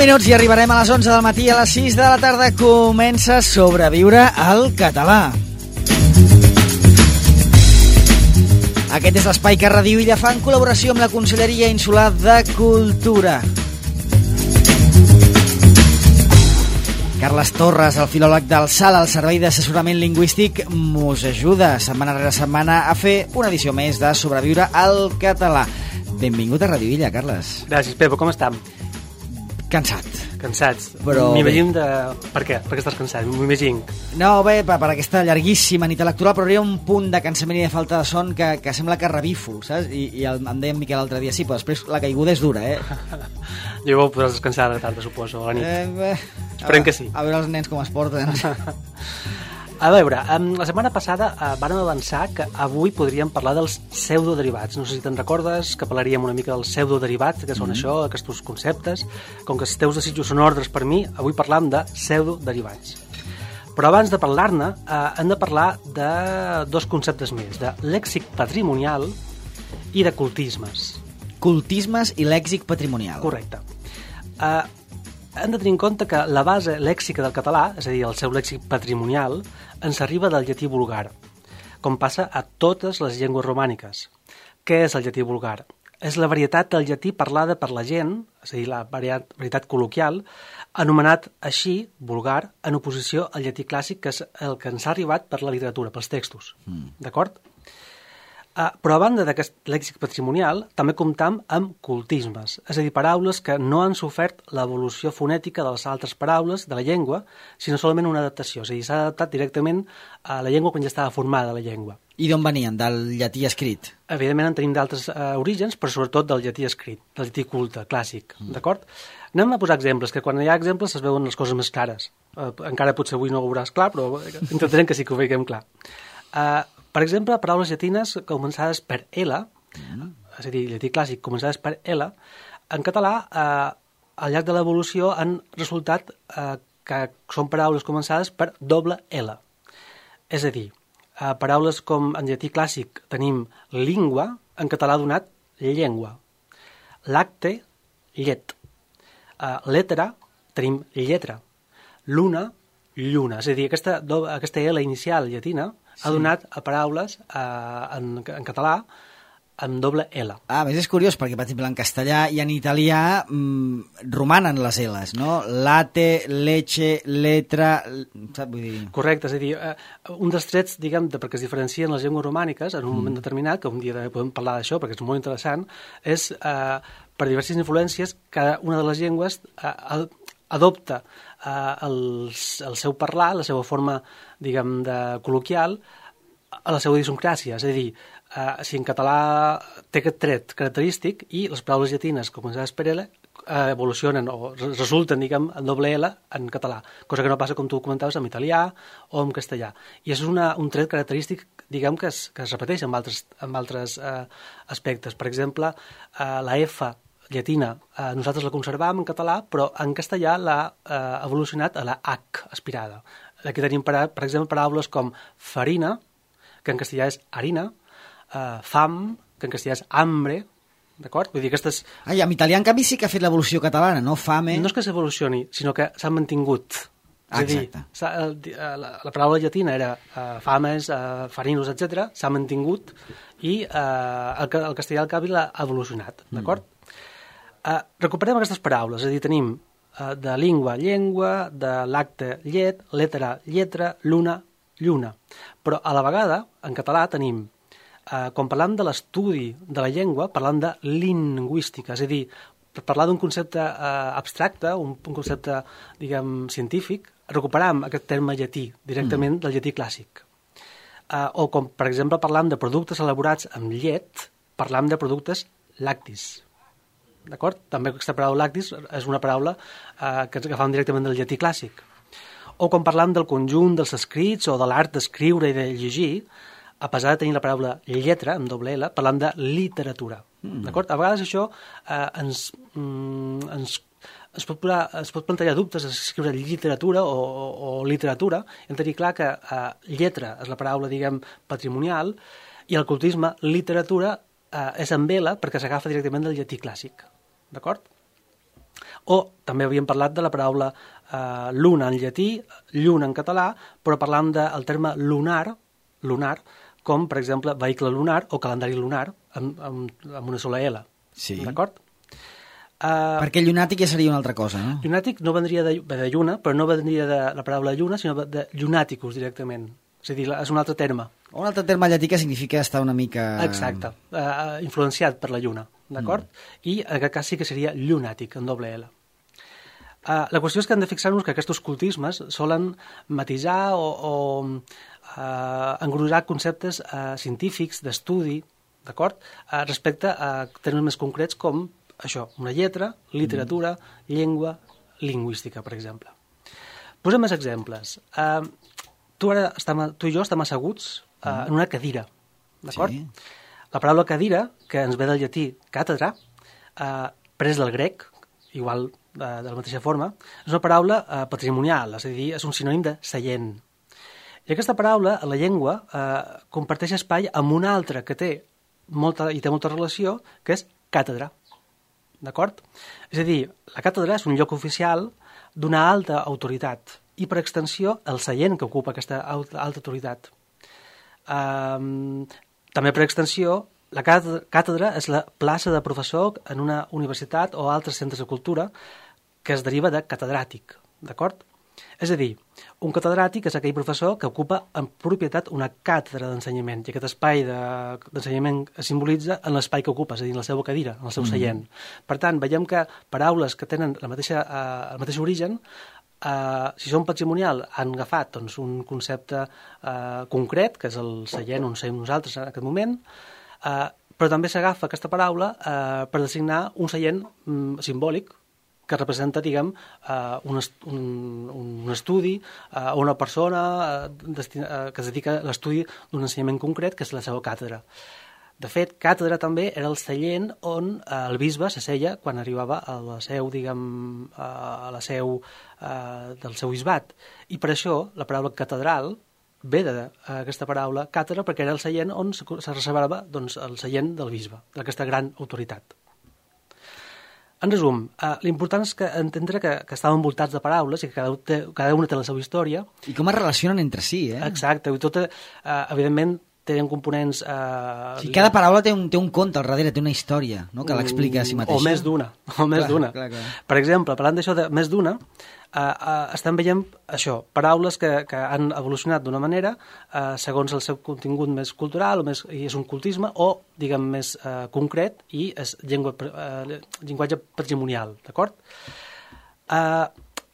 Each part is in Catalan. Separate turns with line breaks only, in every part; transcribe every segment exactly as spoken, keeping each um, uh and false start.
minuts i arribarem a les onze del matí. A les sis de la tarda comença Sobreviure al català. Aquest és l'espai que Radio Illa fa en col·laboració amb la Conselleria Insular de Cultura. Carles Torres, el filòleg del SAL, al Servei d'Assessorament Lingüístic, mos ajuda setmana rere setmana a fer una edició més de Sobreviure al català. Benvingut a Radio Illa, Carles.
Gràcies, Pepo, com estem?
Cansat.
Cansats?
Però
m'imagino de... Per què? Per què estàs cansat? M'ho imagino.
No, bé, per, per aquesta llarguíssima nit electoral, però hi ha un punt de cansament i de falta de son que, que sembla que revifo, saps? I, i el, em deia en Miquel l'altre dia, sí, però després la caiguda és dura, eh?
Jo ho podràs descansar a la tarda, suposo, a la nit.
Eh, bé,
Esperem que sí.
A veure els nens com es porten.
A veure, la setmana passada eh, vàrem avançar que avui podríem parlar dels pseudoderivats. No sé si te'n recordes que parlaríem una mica dels pseudoderivats, que són mm. això, aquests conceptes. Com que els teus desitjos són ordres per mi, avui parlam de pseudoderivats. Però abans de parlar-ne, eh, hem de parlar de dos conceptes més, de lèxic patrimonial i de cultismes.
Cultismes i lèxic patrimonial.
Correcte. Eh, hem de tenir en compte que la base lèxica del català, és a dir, el seu lèxic patrimonial, ens arriba del llatí vulgar, com passa a totes les llengües romàniques. Què és el llatí vulgar? És la varietat del llatí parlada per la gent, és a dir, la varietat col·loquial, anomenat així, vulgar, en oposició al llatí clàssic, que és el que ens ha arribat per la literatura, pels textos. Mm. D'acord? Uh, però a banda d'aquest lèxic patrimonial, també comptam amb cultismes, és a dir, paraules que no han sofert l'evolució fonètica de les altres paraules de la llengua, sinó solament una adaptació, és a dir, s'ha adaptat directament a la llengua quan ja estava formada la llengua.
I d'on venien? Del llatí escrit?
Evidentment en tenim d'altres uh, orígens, però sobretot del llatí escrit, del llatí culte, clàssic, mm. d'acord? Anem a posar exemples, que quan hi ha exemples es veuen les coses més clares. Uh, encara potser avui no ho veuràs clar, però intentarem que sí que ho veiem clar. Uh, Per exemple, paraules llatines començades per L, mm. és a dir, llatí clàssic començades per L, en català, eh, al llarg de l'evolució han resultat eh, que són paraules començades per doble L. És a dir, eh, paraules com en llatí clàssic tenim língua, en català ha donat llengua. Lacte, llet. Eh, letra, tenim lletra. Luna, lluna. És a dir, aquesta, aquesta L inicial llatina ha donat a paraules eh, en, en català amb doble L.
Ah, més és curiós, perquè, per exemple, en castellà i en italià mmm, romanen les L's, no? Latte, leche, letra... Saps? Vull dir...
Correcte, és a dir, eh, un dels trets, diguem, de perquè es diferencien les llengües romàniques en un mm. moment determinat, que un dia podem parlar d'això perquè és molt interessant, és, eh, per diverses influències, cada una de les llengües eh, adopta eh, el, el seu parlar, la seva forma, diguem, de col·loquial, a la seva idiosincràsia. És a dir, eh, si en català té aquest tret característic i les paraules llatines començades per L eh, evolucionen o resulten, diguem, en doble L en català, cosa que no passa, com tu comentaves, en italià o en castellà. I és una, un tret característic, diguem, que es, que es repeteix en altres, en altres eh, aspectes. Per exemple, eh, la F llatina, eh, nosaltres la conservam en català, però en castellà l'ha eh, evolucionat a la H aspirada. Aquí tenim, per, per exemple, paraules com farina, que en castellà és harina, eh, fam, que en castellà és hambre, d'acord? Vull dir, aquestes...
Ai, en italià, en canvi, sí que ha fet l'evolució catalana, no? Fame...
No és que s'evolucioni, sinó que s'han mantingut.
Ah,
és a dir, la, la paraula llatina era uh, fames, uh, farinos, etcètera, s'ha mantingut i uh, el, el castellà al canvi l'ha evolucionat, d'acord? Mm. Uh, recuperem aquestes paraules, és a dir, tenim uh, de língua, llengua, de lacte, llet, letra, lletra, luna, lluna. Però a la vegada, en català, tenim, uh, quan parlam de l'estudi de la llengua, parlam de lingüística, és a dir, per parlar d'un concepte uh, abstracte, un, un concepte, diguem, científic, recuperam aquest terme llatí, directament mm. del llatí clàssic. Uh, o com, per exemple, parlam de productes elaborats amb llet, parlam de productes lactis. D'acord? També aquesta paraula lactis és una paraula eh, que ens agafam directament del llatí clàssic. O quan parlam del conjunt dels escrits o de l'art d'escriure i de llegir, a pesar de tenir la paraula lletra, amb doble L, parlam de literatura. Mm. D'acord? A vegades això eh, ens, mm, ens, es, pot posar, es pot plantejar dubtes a escriure literatura o, o, o literatura. Hem de tenir clar que eh, lletra és la paraula, diguem, patrimonial, i el cultisme literatura eh, és amb L perquè s'agafa directament del llatí clàssic. D'acord? O també havíem parlat de la paraula eh, luna en llatí, lluna en català, però parlant del terme lunar, lunar, com, per exemple, vehicle lunar o calendari lunar, amb, amb, amb una sola L.
Sí.
D'acord?
Uh, Perquè llunàtic ja seria una altra cosa, no?
Llunàtic no vendria de, de lluna, però no vendria de la paraula lluna, sinó de llunaticus directament. És a dir, és un altre terme.
Un altre terme llatí que significa estar una mica...
Exacte, uh, influenciat per la lluna, d'acord? Mm. I en aquest cas sí que seria llunàtic, en doble L. Uh, la qüestió és que hem de fixar-nos que aquests cultismes solen matisar o, o uh, engrossar conceptes uh, científics, d'estudi, d'acord? Uh, respecte a termes més concrets com això, una lletra, literatura, mm. llengua, lingüística, per exemple. Posem més exemples. Uh, tu, ara estem, tu i jo estem asseguts uh, mm. en una cadira, d'acord? Sí. La paraula cadira, que ens ve del llatí càtedra, uh, pres del grec, igual uh, de la mateixa forma, és una paraula uh, patrimonial, és a dir, és un sinònim de seient. I aquesta paraula, a la llengua, uh, comparteix espai amb una altra que té molta, i té molta relació, que és càtedra. D'acord? És a dir, la càtedra és un lloc oficial d'una alta autoritat i, per extensió, el seient que ocupa aquesta alta, alta autoritat. Um, també, per extensió, la càtedra és la plaça de professor en una universitat o altres centres de cultura que es deriva de catedràtic. D'acord? És a dir, un catedràtic és aquell professor que ocupa en propietat una càtedra d'ensenyament i aquest espai d'ensenyament es simbolitza en l'espai que ocupa, és a dir, en la seva cadira, en el seu seient. Mm-hmm. Per tant, veiem que paraules que tenen la mateixa, eh, el mateix origen, eh, si són patrimonial, han agafat doncs, un concepte eh, concret, que és el seient on som nosaltres en aquest moment, eh, però també s'agafa aquesta paraula eh, per designar un seient mm, simbòlic, que representa, diguem, uh, un, est un, un estudi o uh, una persona uh, destina, uh, que es dedica a l'estudi d'un ensenyament concret, que és la seva càtedra. De fet, càtedra també era el seient on uh, el bisbe s'asseia quan arribava a la seu, diguem, uh, a la seu uh, del seu bisbat. I per això la paraula catedral ve d'aquesta paraula càtedra, perquè era el seient on se reservava doncs, el seient del bisbe, d'aquesta gran autoritat. En resum, eh, l'important és que entendre que, que estàvem envoltats de paraules i que cada, té, cada una té la seva història.
I com es relacionen entre si, eh?
Exacte, i tot, eh, evidentment, tenen components... Eh,
o sigui, cada paraula té un, té un conte al darrere, té una història, no?, que l'explica a si mateixa.
O més d'una, o més d'una. Per exemple, parlant d'això de més d'una, eh, eh, estem veient això, paraules que, que han evolucionat d'una manera eh, segons el seu contingut més cultural, o més, i és un cultisme, o, diguem, més eh, concret, i és llengua, eh, llenguatge patrimonial, d'acord? Eh,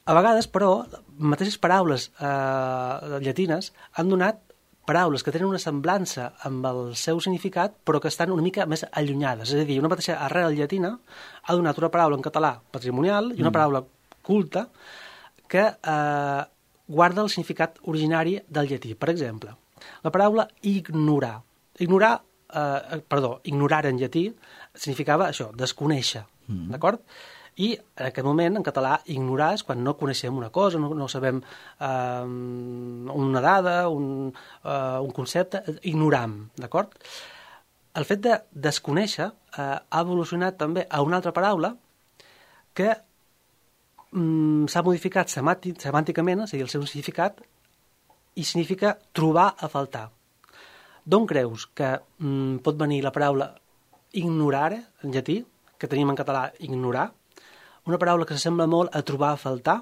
a vegades, però, mateixes paraules eh, llatines han donat paraules que tenen una semblança amb el seu significat, però que estan una mica més allunyades. És a dir, una mateixa arrel llatina ha donat una paraula en català patrimonial i una mm. paraula culta que eh, guarda el significat originari del llatí. Per exemple, la paraula ignorar. Ignorar, eh, perdó, ignorar en llatí significava això, desconèixer, mm. d'acord? I en aquest moment, en català, ignorar és quan no coneixem una cosa, no, no sabem eh, una dada, un, eh, un concepte, ignoram, d'acord? El fet de desconèixer eh, ha evolucionat també a una altra paraula que mm, s'ha modificat semànticament, és a dir, el seu significat, i significa trobar a faltar. D'on creus que mm, pot venir la paraula ignorare, en llatí, que tenim en català ignorar? Una paraula que s'assembla molt a trobar a faltar.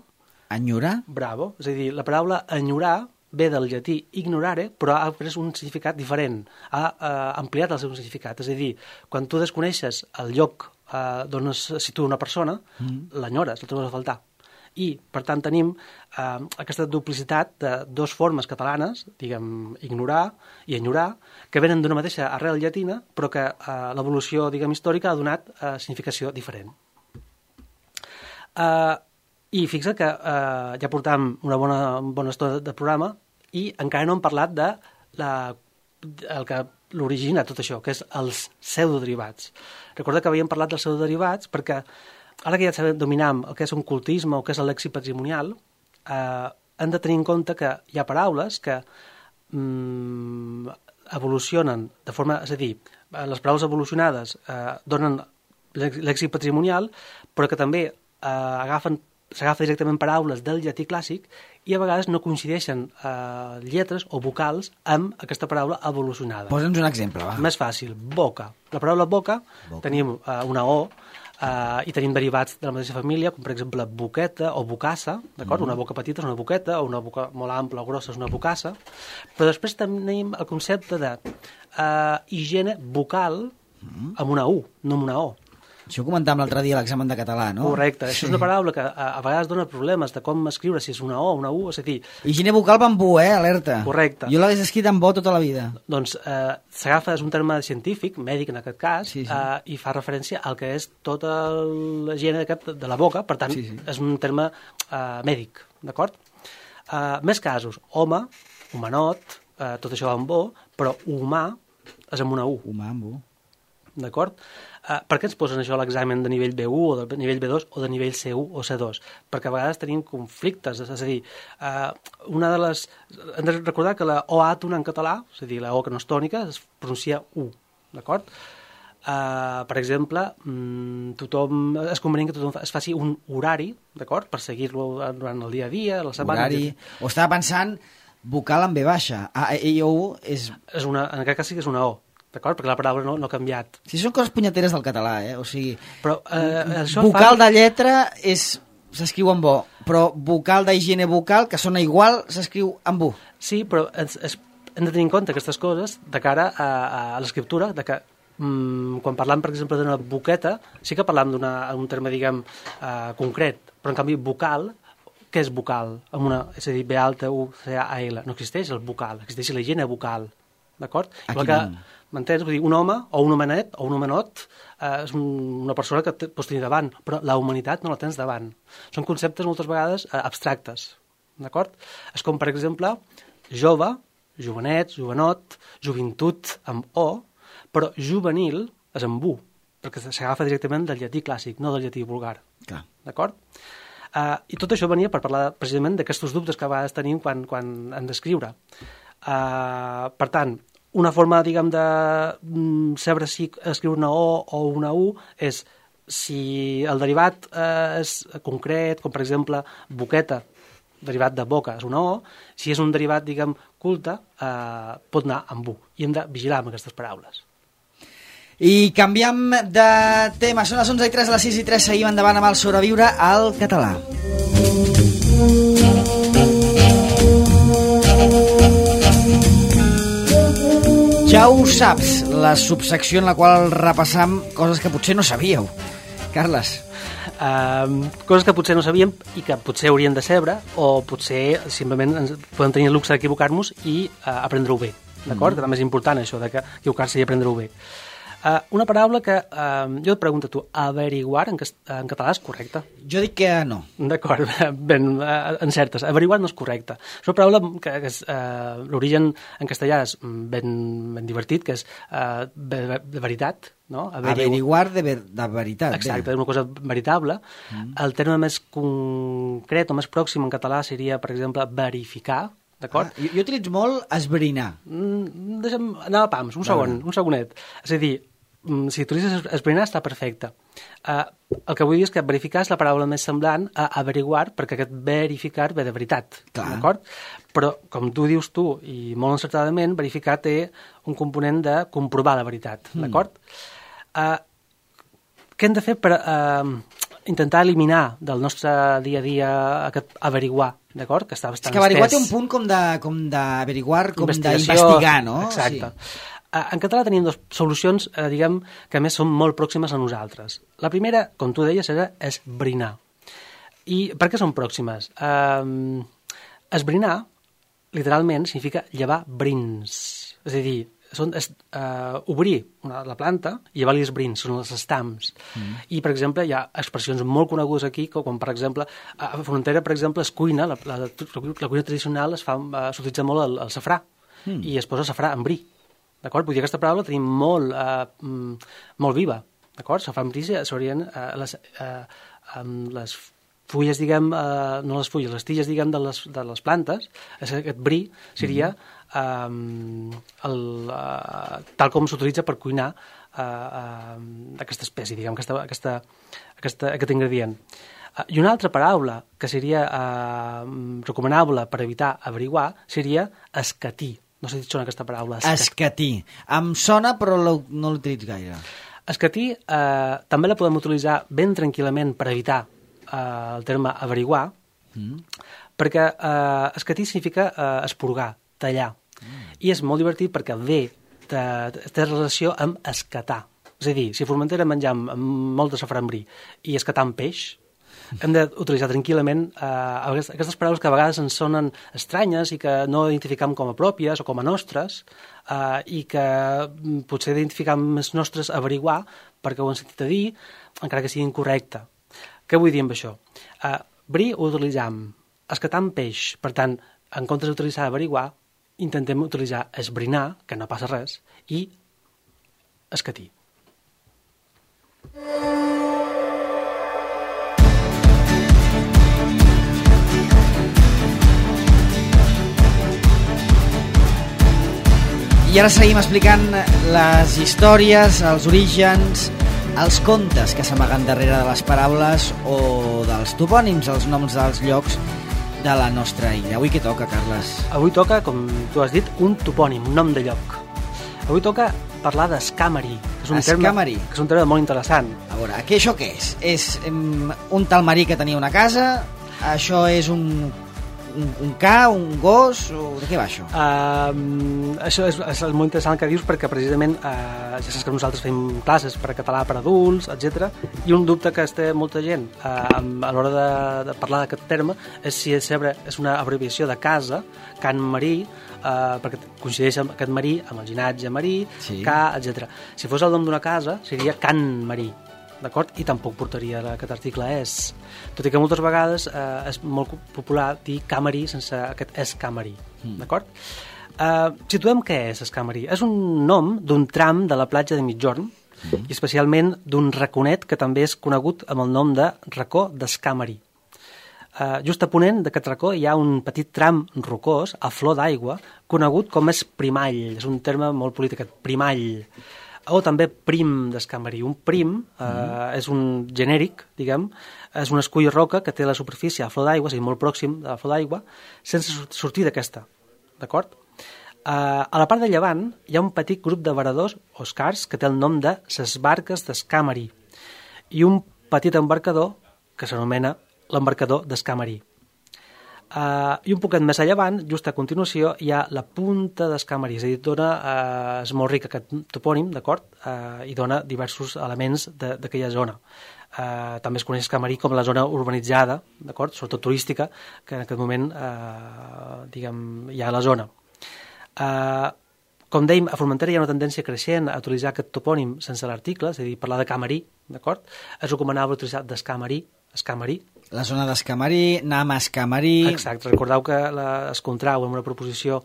Enyorar?
Bravo. És a dir, la paraula enyorar ve del llatí ignorare, però ha pres un significat diferent. Ha eh, ampliat el seu significat. És a dir, quan tu desconeixes el lloc eh, d'on es situa una persona, mm. l'enyores, la trobes a faltar. I, per tant, tenim eh, aquesta duplicitat de dues formes catalanes, diguem, ignorar i enyorar, que venen d'una mateixa arrel llatina, però que eh, l'evolució, diguem, històrica ha donat eh, significació diferent. Uh, I fixa't que uh, ja portam una bona, bona estona de programa i encara no hem parlat de la, el que l'origina tot això, que és els pseudoderivats. Recorda que havíem parlat dels pseudoderivats perquè ara que ja sabem dominar el que és un cultisme o que és el lèxic patrimonial, eh, hem de tenir en compte que hi ha paraules que mm, evolucionen de forma... És a dir, les paraules evolucionades eh, donen lèxic patrimonial, però que també eh, agafen s'agafa directament paraules del llatí clàssic i a vegades no coincideixen eh, lletres o vocals amb aquesta paraula evolucionada.
Posa'ns un exemple, va.
Més fàcil, boca. La paraula boca, boca. tenim eh, una O eh, i tenim derivats de la mateixa família, com per exemple boqueta o bocassa, d'acord? Mm. Una boca petita és una boqueta, o una boca molt ampla o grossa és una bocassa, però després tenim el concepte de eh, higiene vocal mm. amb una U, no amb una O.
Això ho comentàvem l'altre dia a l'examen de català, no?
Correcte. Sí. Això és una paraula que a, a vegades dona problemes de com escriure, si és una O o una U, és a dir...
Higiene vocal va amb U, eh? Alerta.
Correcte.
Jo l'hagués escrit amb O tota la vida.
Doncs eh, s'agafa, és un terme científic, mèdic en aquest cas, sí, sí. Eh, i fa referència al que és tota la higiene de la boca, per tant, sí, sí. és un terme eh, mèdic, d'acord? Eh, més casos, home, humanot, eh, tot això va amb O, però humà és amb una U.
Humà amb U.
D'acord? Uh, per què ens posen això a l'examen de nivell B u o de nivell B dos o de nivell C u o C dos? Perquè a vegades tenim conflictes, és a dir, uh, una de les... hem de recordar que la O àtona en català, és a dir, la O que no és tònica, es pronuncia U, d'acord? Uh, per exemple, um, tothom, és convenient que tothom es faci un horari, d'acord?, per seguir-lo durant el dia a dia, la setmana...
Horari, o estava pensant vocal amb B baixa, A, E, I, O, U és...
és una, en aquest cas sí que és una O, d'acord? Perquè la paraula no, no ha canviat.
Si són coses punyeteres del català, eh? O sigui,
però, eh, això
vocal
fa...
de lletra és s'escriu amb O, però vocal d'higiene vocal, que sona igual, s'escriu amb U.
Sí, però es, es, hem de tenir en compte aquestes coses de cara a, a l'escriptura, de que mm, quan parlam, per exemple, d'una boqueta, sí que parlam d'un terme, diguem, uh, concret, però en canvi vocal, què és vocal? Amb una, és a dir, B alta, U, C, A, L. No existeix el vocal, existeix la higiene vocal, d'acord?
Aquí no.
M'entens? Vull dir, un home o un homenet o un homenot eh, és un, una persona que te, pots tenir davant, però la humanitat no la tens davant. Són conceptes moltes vegades eh, abstractes, d'acord? És com, per exemple, jove, jovenet, jovenot, joventut amb O, però juvenil és amb U, perquè s'agafa directament del llatí clàssic, no del llatí vulgar.
Clar.
D'acord? Eh, I tot això venia per parlar precisament d'aquests dubtes que a vegades tenim quan, quan hem d'escriure. Eh, per tant, una forma, diguem, de mm, saber si escriure una O o una U és si el derivat eh, és concret, com per exemple boqueta, derivat de boca, és una O, si és un derivat, diguem, culte, eh, pot anar amb U. I hem de vigilar amb aquestes paraules.
I canviem de tema. Són les onze i tres, a les sis i tres seguim endavant amb el sobreviure al català. Ja ho saps, la subsecció en la qual repassam coses que potser no sabíeu. Carles.
Uh, coses que potser no sabíem i que potser haurien de saber, o potser simplement ens podem tenir el luxe d'equivocar-nos i uh, aprendre-ho bé, d'acord? Mm. Que també és important això, de que equivocar-se i aprendre-ho bé. Uh, una paraula que uh, jo et pregunto a tu, averiguar en, en català és correcte?
Jo dic que no.
D'acord, ben uh, encertes. Averiguar no és correcte. És una paraula que, que és, uh, l'origen en castellà és ben, ben divertit, que és uh, de, de veritat, no? Averigu...
Averiguar de, ver, de veritat.
Exacte, és una cosa veritable. Mm. El terme més concret o més pròxim en català seria, per exemple, verificar, d'acord?
Ah, jo, jo utilitzo molt esbrinar.
Mm, deixa'm anar a pams, un segon, un segonet. És a dir, si utilitzes esbrinar està perfecte. Uh, el que vull dir és que verificar és la paraula més semblant a averiguar, perquè aquest verificar ve de veritat, d'acord? Però, com tu dius tu, i molt encertadament, verificar té un component de comprovar la veritat, mm. d'acord? Uh, què hem de fer per uh, intentar eliminar del nostre dia a dia aquest averiguar, d'acord? Que està bastant
és que averiguar
estès.
té un punt com d'averiguar, com d'investigar, no?
Exacte. Sí. En català tenim dues solucions, eh, diguem, que a més són molt pròximes a nosaltres. La primera, com tu deies, era esbrinar. I per què són pròximes? Eh, esbrinar, literalment, significa llevar brins. És a dir, són, és, eh, obrir una, la planta i llevar-li els brins, són els estams. Mm. I, per exemple, hi ha expressions molt conegudes aquí, com, per exemple, a Formentera, per exemple, es cuina, la, la, la, la cuina tradicional es fa, eh, s'utilitza molt el, el safrà, mm. i es posa safrà en bri. D'acord? Vull dir, aquesta paraula la tenim molt, eh, molt viva, d'acord? Safrà en bri s'haurien eh, les, eh, les fulles, diguem, eh, no les fulles, les tiges, diguem, de les, de les plantes, aquest bri seria eh, el, eh, tal com s'utilitza per cuinar eh, eh, aquesta espècie, diguem, aquesta, aquesta, aquesta, aquest ingredient. I una altra paraula que seria eh, recomanable per evitar averiguar seria escatí. No sé si et sona aquesta paraula.
Escatí. Escatí. Em sona, però no l'utilitzo gaire.
Escatí eh, també la podem utilitzar ben tranquil·lament per evitar eh, el terme averiguar, mm. perquè eh, escatí significa eh, esporgar, tallar. Mm. I és molt divertit perquè ve de, té relació amb escatar. És a dir, si a Formentera menjam molt de saframbrí i escatam peix, hem d'utilitzar tranquil·lament eh, aquestes paraules que a vegades ens sonen estranyes i que no identificam com a pròpies o com a nostres eh, i que potser identificam més nostres averiguar perquè ho hem sentit a dir, encara que sigui incorrecte. Què vull dir amb això? Eh, bri ho utilitzam, escatam peix, per tant, en comptes d'utilitzar averiguar, intentem utilitzar esbrinar, que no passa res, i escatir.
I ara seguim explicant les històries, els orígens, els contes que s'amaguen darrere de les paraules o dels topònims, els noms dels llocs de la nostra illa. Avui què toca, Carles?
Avui toca, com tu has dit, un topònim, un nom de lloc. Avui toca parlar d'escàmeri, que és un
escàmeri.
terme, que és un terme molt interessant.
A veure, què, això què és? És um, un tal marí que tenia una casa? Això és un, un, un ca, un gos? O de què va això?
Uh, això és, és molt interessant que dius perquè precisament uh, ja saps que nosaltres fem classes per a català per a adults, etcètera. I un dubte que es té molta gent uh, a l'hora de, de parlar d'aquest terme és si és, és una abreviació de casa, can marí, Uh, perquè coincideix amb aquest marí, amb el ginatge marí, sí. Ca, etcètera. Si fos el nom d'una casa, seria Can Marí, d'acord? I tampoc portaria aquest article és. Tot i que moltes vegades uh, és molt popular dir Camarí sense aquest és Camarí, mm. d'acord? Uh, situem què és Escamarí. És un nom d'un tram de la platja de Migjorn, mm. i especialment d'un raconet que també és conegut amb el nom de racó d'Escamarí. Uh, just a ponent d'aquest racó hi ha un petit tram rocós, a flor d'aigua, conegut com és primall. És un terme molt polític, primall. O també prim d'escamarí. Un prim uh, mm. és un genèric, diguem, és un escull roca que té la superfície a flor d'aigua, o sigui, molt pròxim de la flor d'aigua, sense sortir d'aquesta, d'acord? Uh, a la part de llevant hi ha un petit grup de varadors o escars que té el nom de ses barques d'Escamarí i un petit embarcador que s'anomena l'embarcador d'Escamarí. Uh, I un poquet més a llevant, just a continuació, hi ha la punta d'Escamarí, és a dir, dona, uh, és molt ric aquest topònim, d'acord? Uh, i dona diversos elements d'aquella zona. Uh, també es coneix Escamarí com la zona urbanitzada, d'acord? Sobretot turística, que en aquest moment uh, diguem, hi ha a la zona. Uh, com dèiem, a Formentera hi ha una tendència creixent a utilitzar aquest topònim sense l'article, és a dir, parlar de Camarí, d'acord? És recomanable utilitzar d'Escamarí, Escamarí.
La zona d'Escamarí, anem a Escamarí...
Exacte, recordeu que la, es contrau amb una proposició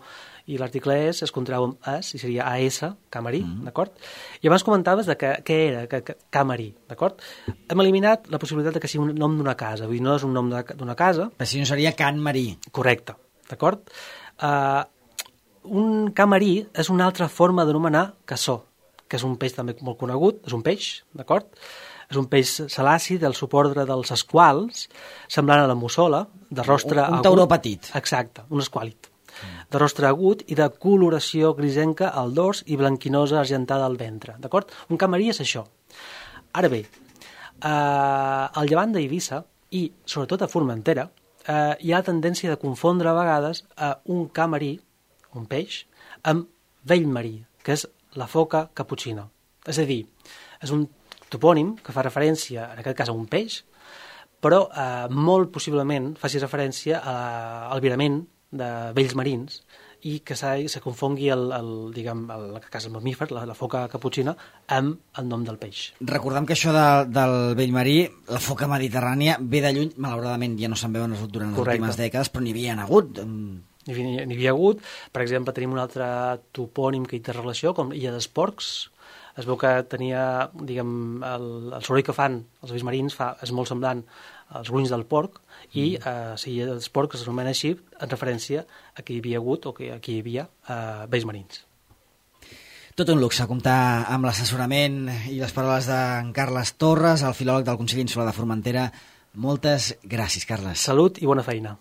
i l'article és, es contrau amb es, i seria A S, Camarí, mm. d'acord? I abans comentaves de que, què era que, que, Camarí, d'acord? Hem eliminat la possibilitat de que sigui un nom d'una casa, vull dir, no és un nom d'una casa...
Però si no seria Can Marí.
Correcte, d'acord? Uh, un camarí és una altra forma d'anomenar cassó, que és un peix també molt conegut, és un peix, d'acord? És un peix salaci del subordre dels esquals, semblant a la mussola, de rostre
un, un
agut.
tauró petit.
Exacte, un esquàlit. Mm. De rostre agut i de coloració grisenca al dors i blanquinosa argentada al ventre, d'acord? Un camarí és això. Ara bé, eh, al llevant d'Eivissa i sobretot a Formentera eh, hi ha la tendència de confondre a vegades eh, un camarí, un peix, amb vell marí, que és la foca caputxina. És a dir, és un topònim que fa referència, en aquest cas, a un peix, però eh, molt possiblement faci referència a, al virament de vells marins i que se confongui el, el, diguem, el, el cas el mamífer, la, la foca caputxina, amb el nom del peix.
Recordem que això de, del vell marí, la foca mediterrània, ve de lluny, malauradament ja no se'n veuen durant les Correcte. últimes dècades, però n'hi havia hagut.
N'hi havia, havia hagut. Per exemple, tenim un altre topònim que hi té relació, com Illa dels Porcs. Es veu que tenia, diguem, el, el soroll que fan els vells marins fa, és molt semblant als grunys del porc i mm. eh, si els porcs s'anomena així en referència a que hi havia hagut o que aquí hi havia eh, vells marins.
Tot un luxe comptar amb l'assessorament i les paraules d'en Carles Torres, el filòleg del Consell Insular de Formentera. Moltes gràcies, Carles.
Salut i bona feina.